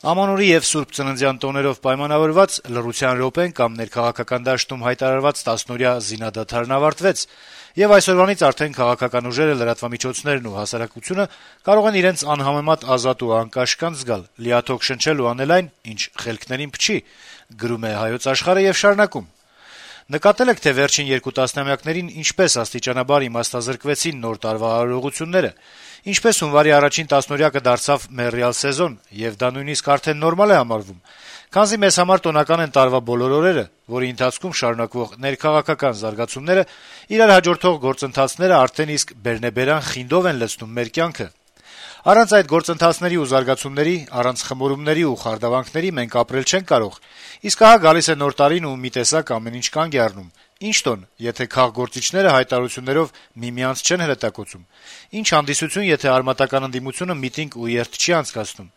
Ամանորի եւ Սուրբ Ծննդյան տոներով պայմանավորված լռության րոպեն կամ ներքաղաքական դաշտում հայտարարված 10-օրյա զինադադարն ավարտվեց, եւ այսօրվանից արդեն քաղաքական ուժերը, լրատվամիջոցներն ու հասարակությունը կարող են իրենց անհամեմատ ազատ ու անկաշկանդ զգալ, լիաթոք շնչել ու անել այն, ինչ խելքներին փչի, գրում է Հայոց Աշխարհը եւ շարունակում. Նկատել եք, թե վերջին 2 տասնամյակներին ինչպես աստիճանաբար իմաստազրկվեցին նոր տարվա արարողությունները, ինչպես հունվարի առաջին 10-օրյակը դարձավ մեռյալ սեզոն, եւ դա նույնիսկ արդեն նորմալ է համարվում, քանզի մեզ համար տոնական են տարվա բոլոր օրերը, որի ընթացքում շարունակվող ներքաղաքական զարգացումները, իրար հաջորդող գործընթացները արդեն իսկ բերնեբերան խինդով են լցնում մեր կյանքը։ Առանց այդ գործընթացների ու զարգացումների, առանց խմորումների ու խարդավանքների մենք ապրել չենք կարող, իսկ ահա գալիս է նոր տարին ու մի տեսակ ամեն ինչ կանգ է առնում։ Ինչ տոն, եթե քաղգործիչները հայտարարություններով միմյանց չեն հրետակոծում, ինչ հանդիսություն, եթե արմատական ընդդիմությունը միտինգ ու երթ չի անցկացնում,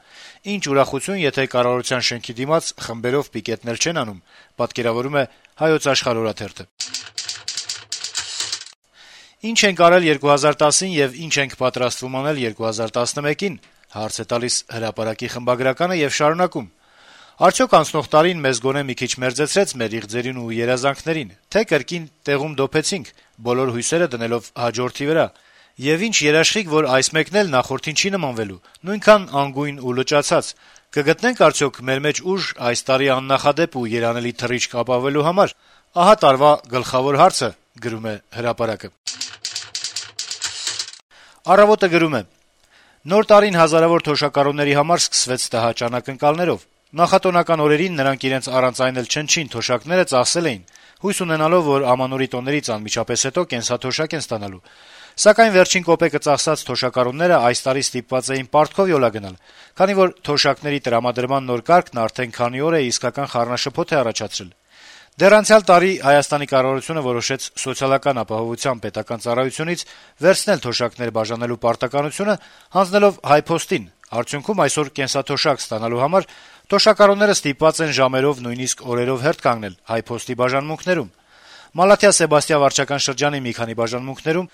ինչ ուրախություն, եթե կառավարության շենքի դիմաց խմբերով պիկետներ չեն անում, պատկերավորում է Հայոց Աշխարհ օրաթերթը։ Ինչ ենք արել 2010-ին եւ ինչ ենք պատրաստվում անել 2011-ին, հարց է տալիս Հրապարակի խմբագրականը եւ շարունակում. Արդյոք անցնող տարին մեզ գոնե մի քիչ մերձեցրեց մեր իղձերին ու երազանքներին, թե կրկին տեղում դոփեցինք, բոլոր հույսերը դնելով հաջորդի վրա, եւ ինչ երաշխիք, որ այս մեկն էլ նախորդին չի նմանվելու, նույնքան անգույն ու լճացած, կգտնենք արդյոք մեր մեջ ուժ այս տարի աննախադեպ ու երանելի թռիչք ապավելու համար։ Ահա տարվա գլխավոր հարցը, գրում է Հրապարակը։ Առավոտը գրում է. Նոր տարին հազարավոր թոշակառուների համար սկսվեց տհաճ անակնկալներով։ Նախատոնական օրերին նրանք իրենց առանց այն էլ չնչին թոշակները ծախսել էին, հույս ունենալով, որ ամանորի տոներից անմիջապես հետո կենսաթոշակ են ստանալու։ Սակայն վերջին կոպեկը ծախսած թոշակառուները այս տարի ստիպված էին պարտքով յոլա գնալ, քանի որ թոշակների տրամադրման նոր կարգն արդեն քանի օր է իսկական խառնաշփոթ է առաջացրել։ Դեռ անցյալ տարի Հայաստանի կառավարությունը որոշեց սոցիալական ապահովության պետական ծառայությունից վերցնել թոշակներ բաժանելու պարտականությունը, հանձնելով Հայփոստին։ Արդյունքում այսօր կենսաթոշակ ստանալու համար թոշակառուները ստիպված են ժամերով, նույնիսկ օրերով հերթ կանգնել Հայփոստի բաժանմունքներում։ Մալաթիա Սեբաստիա վարչական շրջանի մի քանի բաժանմունքներում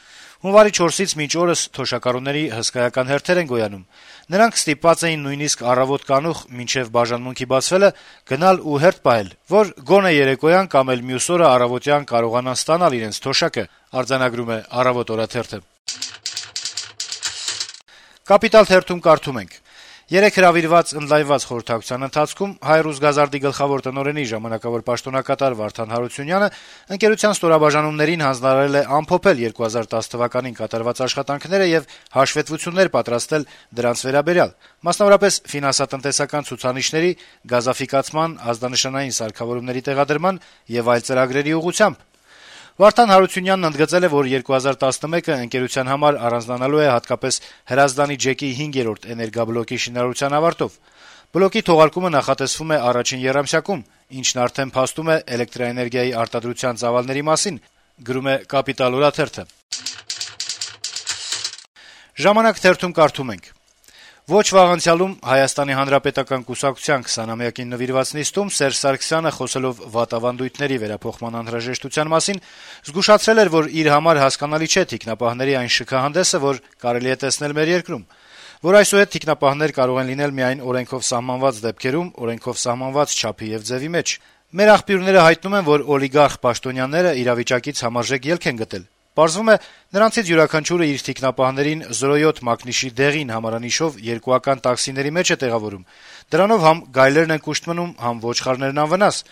հունվարի 4-ից մինչ օրս թոշակառուների հսկայական հերթեր են գոյանում։ Նրանք ստիպված էին նույնիսկ առավոտ կանուխ մինչև բաժանմունքի բացվելը գնալ ու հերթ պահել, որ գոնե երեկոյան կամ էլ մյուս օրը առավոտյան կարողանան ստանալ իրենց թոշակը, արձանագրում է Առավոտ օրաթերթը։ Կապիտալ թերթում կարդում ենք. Երեկ հրավիրված ընդլայնված խորհրդակցության ընթացքում Հայ-Ռուսգազարդի գլխավոր տնօրենի ժամանակավոր պաշտոնակատար Վարդան Հարությունյանը ընկերության ստորաբաժանումներին հանձնարարել է ամփոփել 2010 թվականին կատարված աշխատանքները եւ հաշվետվություններ պատրաստել դրանց վերաբերյալ, մասնավորապես ֆինանսատնտեսական ցուցանիշների, գազաֆիկացման, ազդանշանային սարքավորումների տեղադրման եւ այլ ծրագրերի ուղղությամբ։ Վարդան Հարությունյանն ընդգծել է, որ 2011-ը ընկերության համար առանձնանալու է հատկապես Հրազդանի ջեկի 5-րդ էներգաբլոկի շինարարության ավարտով։ Բլոկի թողարկումը նախատեսվում է առաջին եռամսյակում, ինչն արդեն փաստում է էլեկտրաէներգիայի արտադրության ծավալների մասին, գրում է Կապիտալ օրաթերթը։ Ժամանակ թերթում կարդում ենք. Ոչ վաղ անցյալում Հայաստանի Հանրապետական կուսակցության 20-ամյակին նվիրված նիստում Սերժ Սարգսյանը, խոսելով վատավանդույթների վերափոխման անհրաժեշտության մասին, զգուշացրել էր, որ իր համար հասկանալի չէ թիկնապահների այն շքահանդեսը, որ կարելի է տեսնել մեր երկրում, որ այսուհետ թիկնապահներ կարող են լինել միայն օրենքով սահմանված դեպքերում, օրենքով սահմանված չափի եւ ձևի մեջ։ Մեր աղբյուրները հայտնում են, որ օլիգարխ պաշտոնյաները իրավիճակից համարժեք ելք են գտել։ Պարզվում է, նրանցից յուրաքանչյուրը իր թիկնապահներին 07 մակնիշի դեղին համարանիշով երկուական տաքսիների մեջ է տեղավորում։ Դրանով համ գայլերն են կուշտ մնում, համ ոչխարներն անվնաս։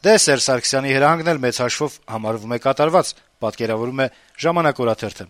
Դե Սերժ Սարգսյանի հրահանգն էլ մեծ հաշվով համարվում է կատարված, պատկերավորում է Ժամանակ օրաթերթը։